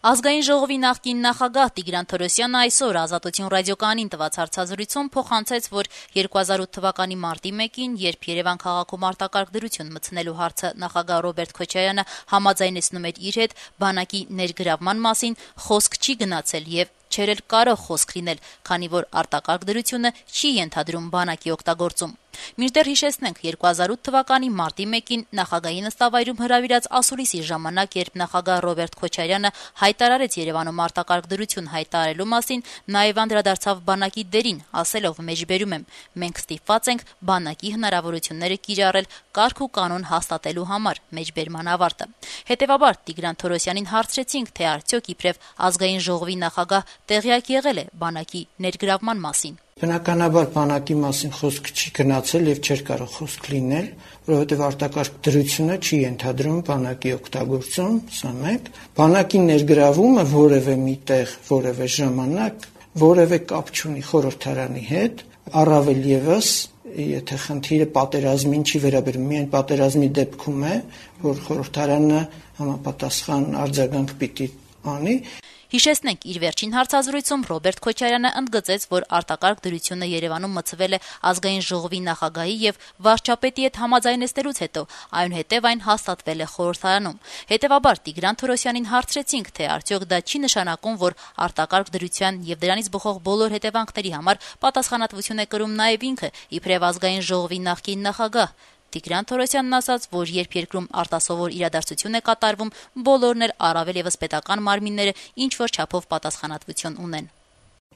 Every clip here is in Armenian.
Ազգային ժողովի նախկին նախագահ Տիգրան Թորոսյանը այսօր Ազատություն ռադիոկայանին տված հարցազրույցում փոխանցեց, որ 2008 թվականի մարտի 1-ին, երբ Երևան քաղաքում արտակարգ դրություն մտցնելու հարցը նախագահ Ռոբերտ Քոչարյանը համաձայնեցնում էր իր հետ, բանակի ներգրավման մասին խոսք չի գնացել եւ չէր էլ կարող խոսք լինել, քանի որ արտակարգ դրությունը չի ենթադրում բանակի օգտագործում։ Մինչդեռ հիշեցնենք 2008 թվականի մարտի 1-ին նախագահի նստավայրում հրավիրած ասուլիսի ժամանակ, երբ նախագահ Ռոբերտ Քոչարյանը հայտարարեց Երևանում արտակարգ դրություն հայտարարելու մասին, նաև անդրադարձավ բանակի դերին, ասելով մեջբերում եմ. մենք ստիպված ենք բանակի հնարավորությունները կիրառել կարգ ու կանոն հաստատելու համար, մեջբերման ավարտը։ Հետևաբար Տիգրան Թորոսյանին հարցրեցինք, թե արդյոք իբրև ազգային ժողովի նախագահ տեղյակ եղել է բանակի ներգրավման մասին։ Բնականաբար բանակի մասին խոսք չի գնացել եւ չէր կարող խոսք լինել, որովհետեւ արտակարգ դրությունը չի ենթադրում բանակի օգտագործում, սա մեկ։ Բանակի ներգրավումը որևէ միտեղ, որևէ ժամանակ, որևէ կապ չունի խորհրդարանի հետ, առավել եւս եթե խնդիրը պատերազմին չի վերաբերում, միայն պատերազմի դեպքում է, որ խորհրդարանը համապատասխան արձագանք պիտի անի։ Հիշեցնենք, իր վերջին հարցազրույցում Ռոբերտ Քոչարյանը ընդգծեց, որ արտակարգ դրությունը Երևանում մտցվել է ազգային ժողովի նախագահի եւ վարչապետի հետ համաձայնեցնելուց հետո, այնուհետեւ այն հաստատվել է խորհրդարանում։ Հետևաբար Տիգրան Թորոսյանին հարցրեցինք, թե արդյոք դա չի նշանակում, որ արտակարգ դրության եւ դրանից բխող բոլոր հետևանքների համար պատասխանատվություն է կրում նաեւ ինքը, իբրև ազգային ժողովի նախկին նախագահ։ Տիգրան Թորոսյանն ասաց, որ երբ երկրում արտասովոր իրադարձություն է կատարվում, բոլորն էլ առավել եւս պետական մարմինները ինչ-որ չափով պատասխանատվություն ունեն։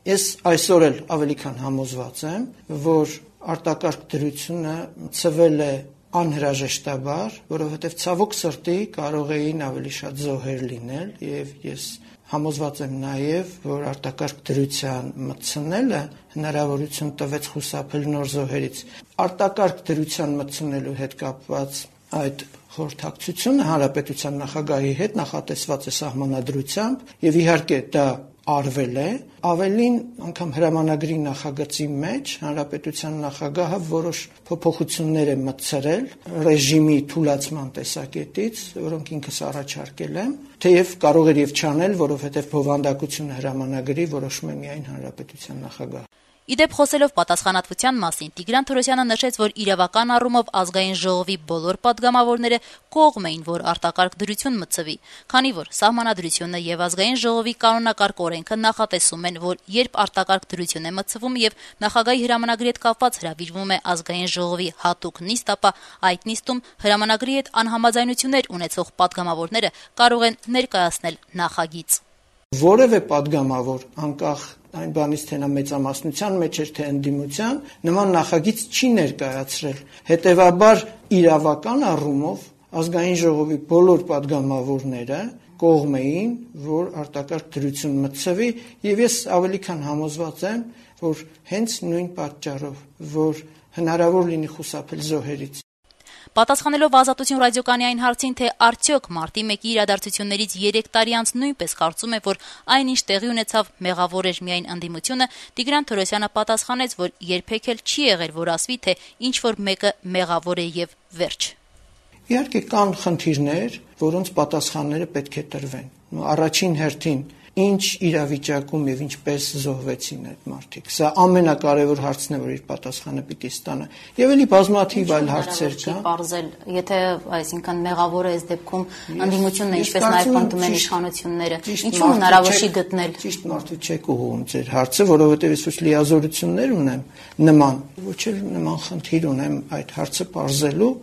Ես այսօր էլ ավելի քան համոզված եմ, որ արտակարգ դրությունը ծվել է անհրաժեշտաբար, որովհետեւ ցավոք սրտի կարող էին ավելի շատ զոհեր լինել եւ ես համոզված եմ նաեւ, որ արտակարգ դրության մտցնելը հնարավորություն տվեց խուսափել նոր զոհերից։ Արտակարգ դրության մտցնելու հետ կապված այդ խորհրդակցությունը հանրապետության նախագահի հետ նախատեսված է սահմանադրությամբ եւ իհարկե դա արվել է, ավելին անգամ հրամանագրի նախագծի մեջ հանրապետության նախագահը որոշ փոփոխություններ է մտցրել ռեժիմի թուլացման տեսակետից, որոնք ինքս առաջարկել եմ, թեև կարող էր եւ չանել, որովհետեւ բովանդակությունը հրամանագրի որոշում է միայն հանրապետության նախագահը։ Իդեպ խոսելով պատասխանատվության մասին, Տիգրան Թորոսյանը նշեց, որ իրավական առումով ազգային ժողովի բոլոր падգամավորները կողմ էին, որ արտակարգ դրություն մտցվի, քանի որ սահմանադրությունը եւ ազգային ժողովի կանոնակարգ օրենքը նախատեսում են, որ երբ արտակարգ դրություն է մտցվում եւ նախագահի հրամանագրի հետ կապված հրավիրվում է ազգային ժողովի հատուկ նիստ, ապա այդ նիստում հրամանագրի հետ անհամաձայնություններ ունեցող падգամավորները կարող են ներկայացնել նախագիծ։ Որևէ падգամավոր, անկախ այն բանից, թե նա մեծամասնության մեջ էր, թե ընդդիմության, նման նախագիծ չի ներկայացրել։ Հետևաբար իրավական առումով ազգային ժողովի բոլոր падգամավորները կողմ էին, որ արտակարգ դրություն մտցվի, եւ ես ավելի քան համոզված եմ, որ հենց նույն պատճառով, որ հնարավոր լինի խուսափել զոհերից։ Պատասխանելով Ազատություն ռադիոկայանի այն հարցին, թե արդյոք մարտի 1-ի իրադարձություններից 3 տարի անց նույնպես կարծում է, որ այնինչ տեղի ունեցավ մեղավոր էր միայն ընդդիմությունը, Տիգրան Թորոսյանը պատասխանեց, որ երբեք էլ չի եղել, որ ասվի, թե ինչ-որ մեկը մեղավոր է եւ վերջ։ Իհարկե կան խնդիրներ, որոնց պատասխանները պետք է տրվեն։ Առաջին հերթին ինչ իրավիճակում եւ ինչպես զոհվեցին այդ մարդիկ։ Սա ամենակարևոր հարցն է, որ իր պատասխանը պիտի ստանա։ Եվ էլի բազմաթիվ այլ հարցեր կան։ Պարզել, եթե այսինքն մեղավոր է այս դեպքում ընդդիմությունն է, ինչպես նաեւ պնդում են իշխանությունները, ինչու հնարավոր չի գտնել։ Ճիշտ մարդու չեք ուղղում ձեր հարցը, որովհետեւ ես ոչ լիազորություններ ունեմ նման, ոչ էլ նման խնդիր ունեմ այդ հարցը պարզելու։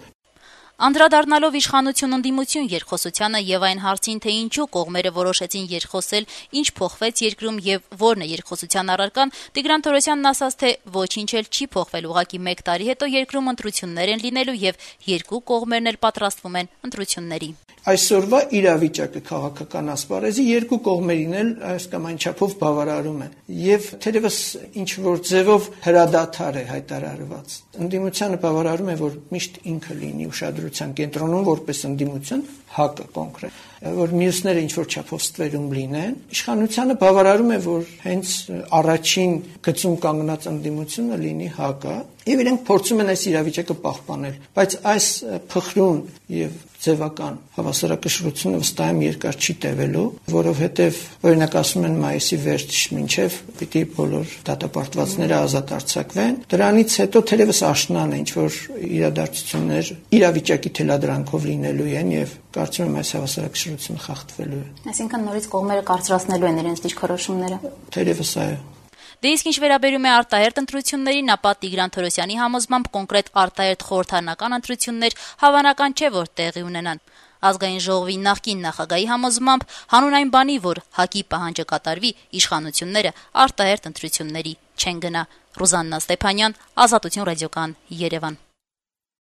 Անդրադառնալով իշխանություն-ընդդիմություն երկխոսությանը եւ այն հարցին, թե ինչու կողմերը որոշեցին երկխոսել, ինչ փոխվեց երկրում եւ որն է երկխոսության առարկան, Տիգրան Թորոսյանն ասաց, թե ոչինչ էլ չի փոխվել, ուղղակի 1 տարի հետո երկրում ընտրություններ են լինելու եւ երկու կողմերն էլ պատրաստվում են ընտրությունների։ Այսօրվա իրավիճակը քաղաքական ասպարեզի երկու կողմերին էլ այս կամ այն չափով բավարարում է եւ թերևս ինչ որ ձևով հրադադար է հայտարարված։ Ընդդիմությանը բավարարում է, որ միշտ ինքը լինի ուշադրության կենտրոնում որպես ընդդիմություն, ՀԱԿ-ը կոնկրետ, որ մյուսները ինչ որ չափով ստվերում լինեն։ Իշխանությանը բավարարում է, որ հենց առաջին գծում կանգնած ընդդիմությունը լինի ՀԱԿ-ը եւ իրենք փորձում են այս իրավիճակը պահպանել, բայց այս փխրուն եւ ձևական հավասարակշռությունը վստահ եմ երկար չի տևելու, որովհետեւ օրինակ ասում են մայիսի վերջ մինչեւ պիտի բոլոր դատապարտվածները ազատ արձակվեն, դրանից հետո թերևս աշնան է ինչ որ իրադարձություններ իրավիճակի թելադրանքով լինելու են եւ կարծում եմ այս հավասարակշռությունը խախտվելու է։ Այսինքն նորից կողմերը կարծրացնելու են իրենց դիրքորոշումները։ Թերևս այո։ Դե իսկ ինչ վերաբերում է արտահերթ ընտրություններին, ապա Տիգրան Թորոսյանի համոզմամբ կոնկրետ արտահերթ խորհրդարանական ընտրություններ հավանական չէ, որ տեղի ունենան։ Ազգային ժողովի նախկին նախագահի համոզմամբ հանուն այն բանի, որ ՀԱԿ-ի պահանջը կատարվի, իշխանությունները արտահերթ ընտրությունների չեն գնա։ Ռուզաննա Ստեփանյան, Ազատություն ռադիոկան, Երևան։